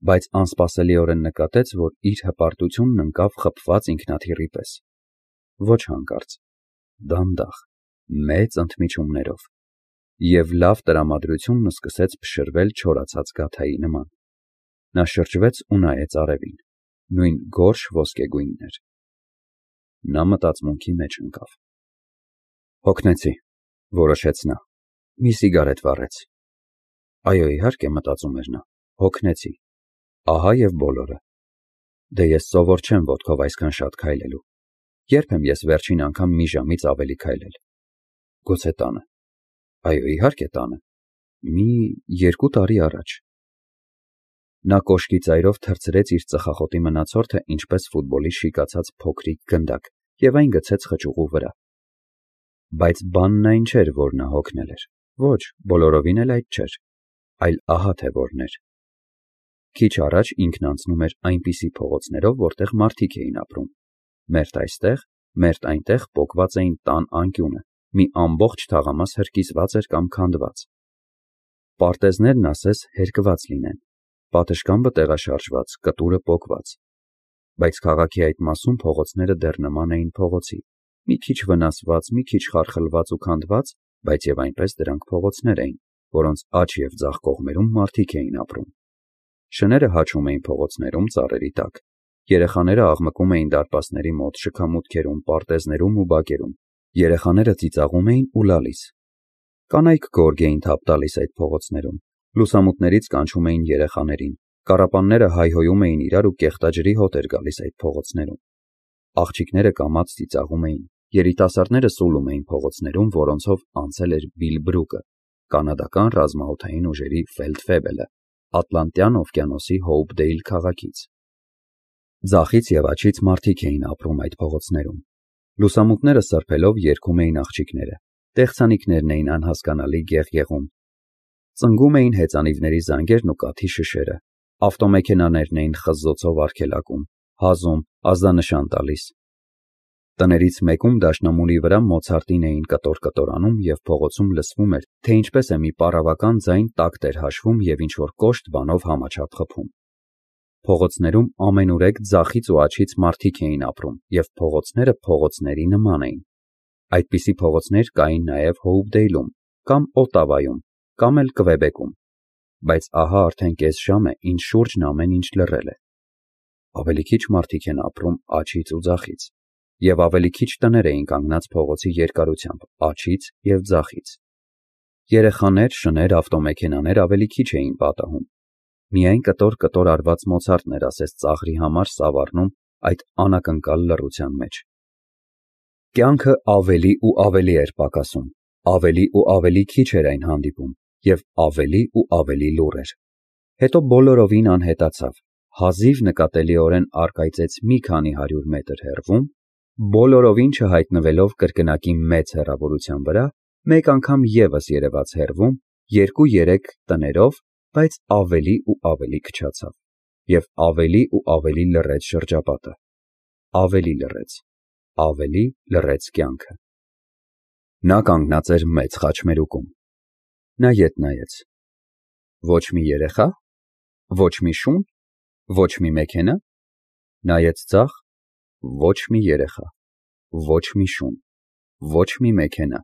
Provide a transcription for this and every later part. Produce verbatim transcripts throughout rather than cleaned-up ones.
բայց անսպասելիորեն նկատեց, որ իր հպարտությունն ընկավ խփված ինքնաթիռի պես։ Ոչ հանկարծ, դանդաղ, մեծ ընդմիջումներով, և լավ տրամադրությունն սկսեց փշրվել չորացած գաթայի նման։ Նա շրջվեց ու նայեց արևին, նույն գորշ ոսկեգույնն էր։ Նա մտածմունքի մեջ ընկավ։ Հոգնեցի, որոշեց նա, մի սիգարետ վառեց։ Այո, իհարկե, մտածում էր նա, հոգնեցի, ահա և բոլորը։ Դե ես սովոր չեմ ոտքով այսքան շատ քայլելու, երբ եմ ես վերջին անգամ մի ժամից ավելի քայլել։ Գուցե տանը։ Այո, իհարկե տանը, մի երկու տարի առաջ։ Նա կոշկի ծայրով թռցրեց իր ծխախոտի մնացորդը ինչպես ֆուտբոլի շիկացած փոքրիկ գնդակ և այն գցեց խճուղու վրա։ Բայց բանն այն չէր, որ նա հոգնել էր, ոչ, բոլորովին էլ այդ չէր, այլ ահա թե որն էր։ Քիչ առաջ ինքն անցնում էր այնպիսի փողոցներով, որտեղ մարդիկ էին ապրում, մերթ այստեղ, մերթ այնտեղ պոկված էին տան անկյունը, մի ամբողջ թաղամաս հրկիզված էր կամ քանդված։ Պարտեզներն ասես հերկված լինեն, պատշգամբը տեղաշարժված, կտուրը պոկված։ Բայց քաղաքի այդ մասում փողոցները դեռ նման էին փողոցի, մի քիչ վնասված, մի քիչ խարխլված ու քանդված, բայց և այնպես դրանք փողոցներ էին, որոնց աջ և ձախ կողմերում մարդիկ էին ապրում։ Շները հաչում էին փողոցներում ծառերի տակ, երեխաները աղմկում էին դարպասների մոտ, շքամուտքերում, պարտեզներում ու բակերում, երեխաները ծիծաղում էին ու լալիս։ Կանայք գորգ էին թափ տալիս այդ փողոցներում, լուսամուտներից կանչում էին երեխաներին, կառապանները հայհոյում էին իրար ու կեղտաջրի հոտ էր գալիս այդ փողոցներում։ Աղջիկները կամաց ծիծաղում էին, երիտասարդները սուլում էին փողոցներում, որոնցով անցել էր Բիլ Բրուկը, կանադական ռազմաօդային ուժերի ֆելդֆեբելը, Ատլանտյան օվկիանոսի Հոուպդեյլ քաղաքից։ Ձախից և աջից մարդիկ էին ապրում այդ փողոցներում։ Լուսամուտները սրբելով երգում էին աղջիկները, տեխսանիքներն էին անհասկանալի գեղգեղում։ Ծնգում էին հեծանիվների զանգերն ու կաթի շշերը, ավտոմեքենաներն էին խզզոցով արգելակում, հազում, ազդանշան տալիս։ Տներից մեկում դաշնամուրի վրա Մոցարտին էին կտոր-կտորանում և փողոցում լսվում էր, թե ինչպես է մի պարավական ձայն տակտ էր հաշվում և ինչ-որ կոշտ բանով համաչափ խփում։ Փողոցներում ամենուրեք ձախից ու աջից մարդիկ էին ապրում, և փողոցները փողոցների նման էին։ Այդպիսի փողոցներ կային նաև Հոուպդեյլում, կամ Օտավայում, կամ էլ Կվեբեկում։ Բայց ահա արդեն կես ժամ է, ինչ շուրջն ամեն ինչ լռել է։ Ավելի քիչ մարդիկ են ապրում աջից ու ձախից, և ավելի քիչ տներ էին կանգնած փողոցի երկարությամբ աջից և ձախից։ Երեխաներ, շներ, ավտոմեքենաներ ավելի քիչ էին պատահում։ Միայն կտոր-կտոր արված Մոցարտն էր ասես ծաղրի համար սավառնում այդ անակնկալ լռության մեջ։ Կյանքը ավելի ու ավելի էր պակասում, ավելի ու ավելի քիչ էր այն հանդիպում, և ավելի ու ավելի լուռ էր։ Հետո բոլորովին անհետացավ, հազիվ նկատելիորեն առկայծեց մի քանի հարյուր մետր հեռվում, բոլորովին չհայտնվելով կրկնակի մեծ հեռավորության վրա, մեկ անգամ ևս երևաց հեռվում, երկու-երեք տներով, բայց ավելի ու ավելի քչացավ, և ավելի ու ավելի լռեց շրջապատը, ավելի լռեց, ավելի լռեց կյանքը։ Նա կանգնած էր մեծ խաչմերուկում։ Նա ետ նայեց։ Ոչ մի երեխա, ոչ մի շուն, ոչ մի մեքենա։ Նայեց ձախ։ Ոչ մի երեխա, ոչ մի շուն, ոչ մի մեքենա։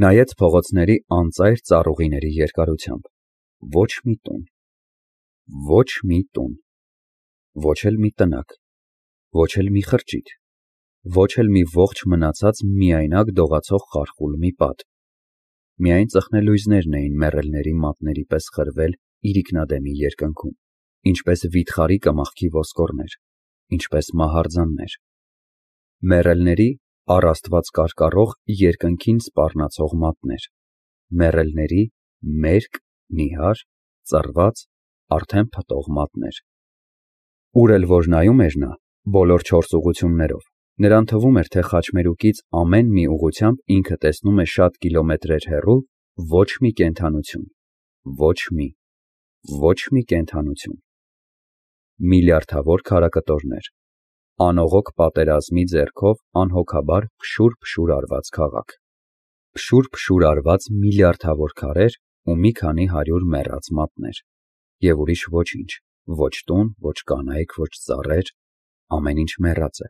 Նայեց փողոցների անծայր ծառուղիների երկարությամբ։ Ոչ մի տուն, ոչ մի տուն, ոչ էլ մի տնակ, ոչ էլ մի խրճիթ, ոչ էլ մի ողջ մնացած միայնակ դողացող խարխուլ մի պատ։ Միայն ծխնելույզներն էին մեռելների մատների պես խրվել իրիկնադեմի երկնքում, ինչպես վիթխարի կմախքի ոսկորներ, ինչպես մահարձաններ։ Մեռելների առ Աստված կարկառող երկնքին սպառնացող մատներ, մեռելների մերկ, նիհար, ծռված, արդեն փտող մատներ։ Ուր էլ որ նայում էր նա, բոլոր չորս ուղղություններով, նրան թվում էր, թե խաչմերուկից ամեն մի ուղղությամբ ինքը տեսնում է շատ կիլոմետրեր հեռու ոչ մի կենդանություն, ոչ մի, ոչ մի կենդանություն։ Միլիարդավոր քարակտորներ, անողոք պատերազմի ձեռքով անհոգաբար փշուր-փշուր արված քաղաք, փշուր-փշուր արված միլիարդավոր քարեր ու մի քանի հարյուր մեռած մատներ, և ուրիշ ոչինչ, Ոչ տուն, ոչ կանայք, ոչ ծառեր, ամեն ինչ մեռած է,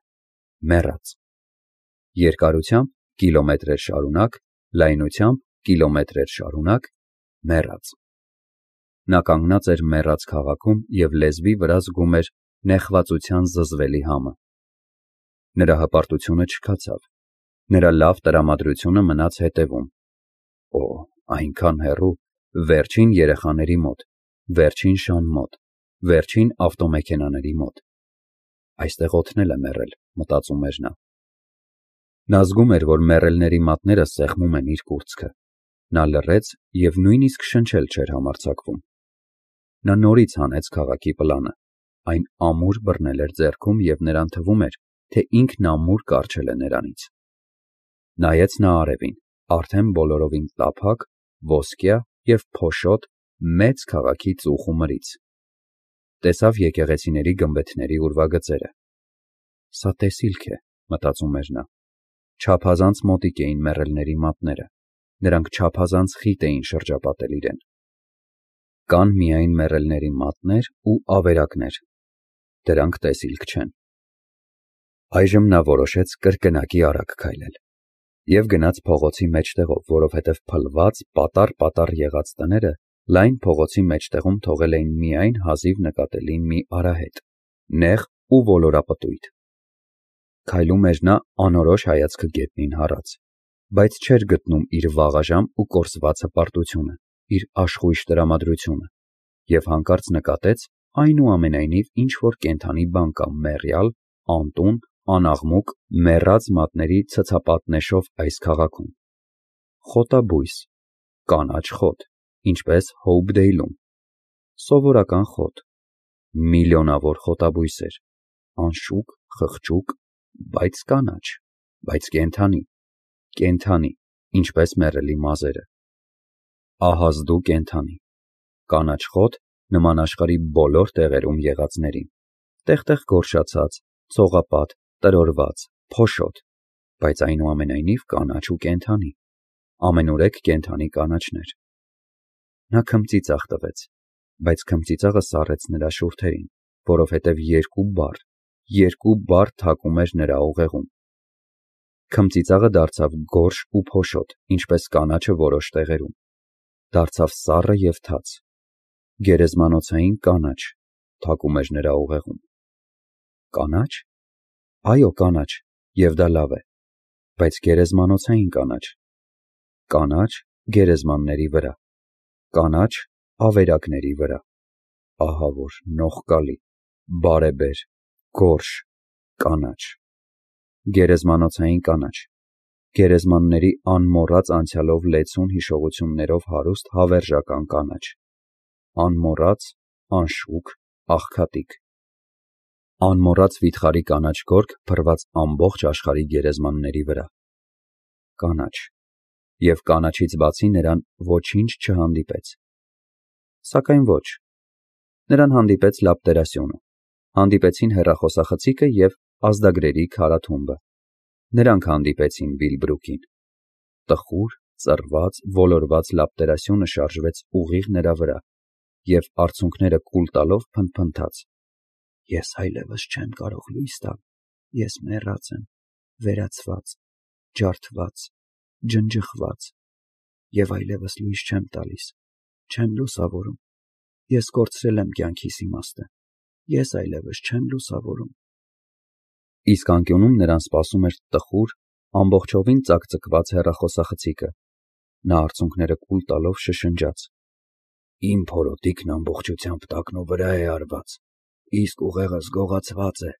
մեռած։ Երկարությամբ կիլոմետրեր շարունակ, լայնությամբ կիլոմետրեր շարունակ, մեռած։ Նա կանգնած էր մեռած քաղաքում և լեզվի վրա զգում էր նեղվածության զզվելի համը։ Նրա հպարտությունը չքացավ, նրա լավ տրամադրությունը մնաց հետևում։ Օ, այնքան հեռու, վերջին երեխաների մոտ, վերջին շան մոտ, վերջին ավտոմեքենաների մոտ։ Այստեղ օդն էլ է մեռել, մտածում էր նա։ Նա զգում էր, որ մեռելների մատները սեղմում են իր կուրծքը։ Նա լռեց և նույնիսկ շնչել չէր համարձակվում։ Նա նորից հանեց քաղաքի պլանը։ Այն ամուր բռնել էր ձեռքում և նրան թվում էր, թե ինքն ամուր կառչել է նրանից։ Նայեց նա արևին, արդեն բոլորովին տափակ, ոսկյա և փոշոտ մեծ քաղաքի ծուխ ու մրից։ Տեսավ եկեղեցիների գմբեթների ուրվագծերը։ Սա տեսիլք է, մտածում էր նա։ Չափազանց մոտիկ էին մեռելների մատները, նրանք չափազանց խիտ էին շրջապատել իրեն։ Կան միայն մեռելների մատներ ու ավերակներ, դրանք տեսիլք չեն։ Այժմ նա որոշեց կրկնակի արագ քայլել և գնաց փողոցի մեջտեղով, որովհետև փլված, պատառ-պատառ եղած տները լայն փողոցի մեջտեղում թողել էին միայն հազիվ նկատելի մի արահետ, նեղ ու ոլորապտույտ։ Քայլում էր նա անորոշ հայացքը գետնին հառած, բայց չէր գտնում իր վաղաժամ ու կորսված հպարտությունը, իր աշխույժ տրամադրությունը, և հանկարծ նկատեց այնուամենայնիվ ինչ-որ կենդանի բան կա մեռյալ, անտուն, անաղմուկ, մեռած մատների ցցապատնեշով այս քաղաքում։ Խոտաբույս, կանաչ խոտ, ինչպես Հոուփդեյլում, սովորական խոտ, միլիոնավոր խոտաբույսեր, անշուք, խղճուկ, բայց կանաչ, բայց կենդանի, կենդանի, ինչպես մեռելի մազերը։ Ահազդու կենդանի, կանաչ խոտ, նման աշխարհի բոլոր տեղերում եղածներին, տեղ-տեղ գորշացած, ցողապատ, տրորված, փոշոտ, բայց այնուամենայնիվ կանաչ ու կենդանի, ամենուրեք կենդանի կանաչներ։ Նա քմծիծաղ տվեց, բայց քմծիծաղը սառեց նրա շուրթերին, որովհետև երկու բառ, երկու բառ թակում էր նրա ուղեղում։ Քմծիծաղը դարձավ գորշ ու փոշոտ, ինչպես կանաչը որոշ տեղերում, դարձավ սառը և թաց։ Գերեզմանոցային կանաչ թակում էր նրա ուղեղում։ Կանաչ։ Այո, կանաչ, և դա լավ է, բայց գերեզմանոցային կանաչ։ Կանաչ գերեզմանների վրա, կանաչ ավերակների վրա, ահա որ նողկալի, բարեբեր, գորշ, կանաչ։ Գերեզմանոցային կանաչ, գերեզմանների անմոռաց անցյալով լեցուն հիշողություններով հարուստ հավերժական կանաչ, անմոռաց, անշուք, աղքատիկ։ Անմոռաց վիթխարի կանաչ գորգ փռված ամբողջ աշխարհի գերեզմանների վրա։ Կանաչ, և կանաչից բացի նրան ոչինչ չհանդիպեց։ Սակայն ոչ։ Նրան հանդիպեց լապտերասյունը, հանդիպեցին հեռախոսախցիկը և ազդագրերի քարաթումբը։ Նրանք հանդիպեցին Բիլբրուկին։ Տխուր, ծռված, ոլորված լապտերասյունը շարժվեց ուղիղ նրա վրա և արցունքները կուլ տալով փնթփնթաց. Ես այլևս չեմ կարող լույս տալ, ես մեռած եմ, վերացված, ջարդված, ջնջխված, և այլևս լույս չեմ տալիս, չեմ լուսավորում, ես կորցրել եմ կյանքիս իմաստը, ես այլևս չեմ լուսավորում։ Իսկ անկյունում նրան սպասում էր տխուր, ամբողջովին ծակծկված հեռախոսախցիկը։ Նա արցունքները կուլ տալով շշնջաց. Իմ փորոտիքն ամբողջությամբ տակնու վրա է արված, իսկ ուղեղս գողացված է,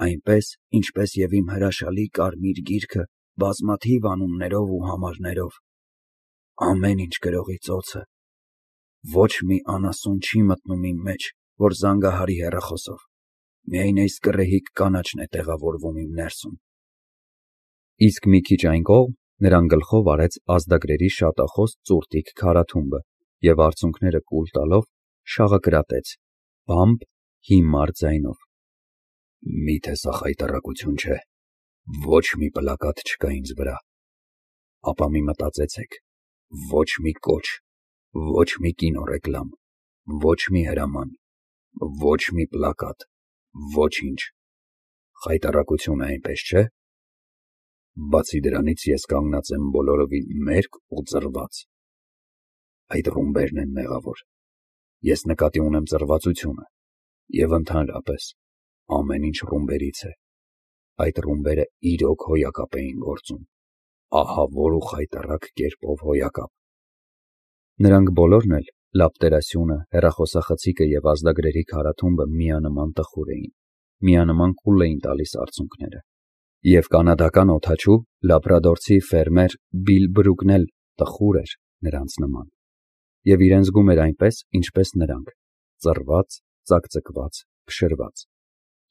այնպես, ինչպես և իմ հրաշալի կարմիր գիրքը բազմաթիվ անուններով ու համարներով։ Ամեն ինչ գրողի ծոցը։ Ոչ մի անասուն չի մտնում իմ մեջ, որ զանգահարի հեռախոսով, միայն այս կռեհիկ կանաչն է տեղավորվում իմ ներսում։ Իսկ մի քիչ այն կողմ նրան գլխով արեց ազդագրերի շատախոս ծուրտիկ քարաթումբը և արցունքները կուլ տալով շաղակրատեց բամբ, հիմար ձայնով. Միթե սա խայտառակություն չէ, ոչ մի պլակատ չկա ինձ վրա, ապա մի մտածեցեք, ոչ մի կոչ, ոչ մի կինոռեկլամ, ոչ մի հրաման, Ոչ մի պլակատ, ոչինչ, խայտառակություն է, այնպես չէ՞։ Բացի դրանից ես կանգնած եմ բոլորովին մերկ ու ծռված։ Այդ ռումբերն են մեղավոր։ Ես նկատի ունեմ ծռվածությունը և ընդհանրապես ամեն ինչ ռումբերից է։ Այդ ռումբերը իրոք հոյակապ էին գործում, ահավոր ու խայտառակ կերպով հոյակապ։ Նրանք բոլորն էլ, լապտերասյունը, հեռախոսախցիկը և ազդագրերի քարաթումբը միանման տխուր էին, միանման կուլ էին տալիս արցունքները։ Եվ կանադական օդաչու, լաբրադորցի ֆերմեր Բիլ Բրուկն էլ տխուր էր նրանց նման, և իրեն զգում էր այնպես, ինչպես նրանք՝ ծռված, ծակծկված, փշրված,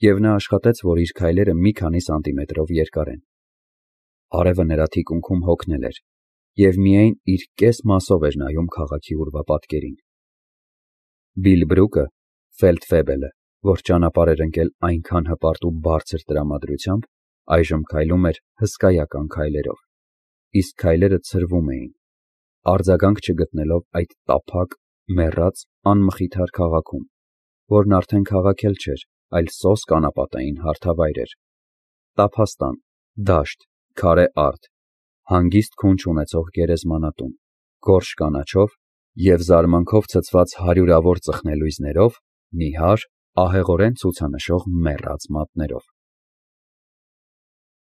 և նա աշխատեց, որ իր քայլերը մի քանի սանտիմետրով երկարեն։ Արևը նրա թիկունքում հոգնել էր, և միայն իր կես մասով էր նայում քաղաքի ուրվապատկերին։ Բիլ Բրուկը, ֆելդֆեբելը, որ ճանապարհ էր ընկել այնքան հպարտ ու բարձր տրամադրությամբ, այժմ քայլում էր հսկայական քայլերով, իսկ քայլերը ցրվում էին, արձագանք չգտնելով այդ տափակ, մեռած, անմխիթար քաղաքում, որն արդեն քաղաք էլ չէր, այլ սոսկ անապատային հարթավայր էր, տափաստան, դաշտ, քարե արդ, հանգիստ քուն չունեցող գերեզմանատուն, գորշ կանաչով և զարմանքով ցցված հարյուրավոր ծխնելույզներով, նիհար, ահեղորեն ցուցանշող մեռած մատներով։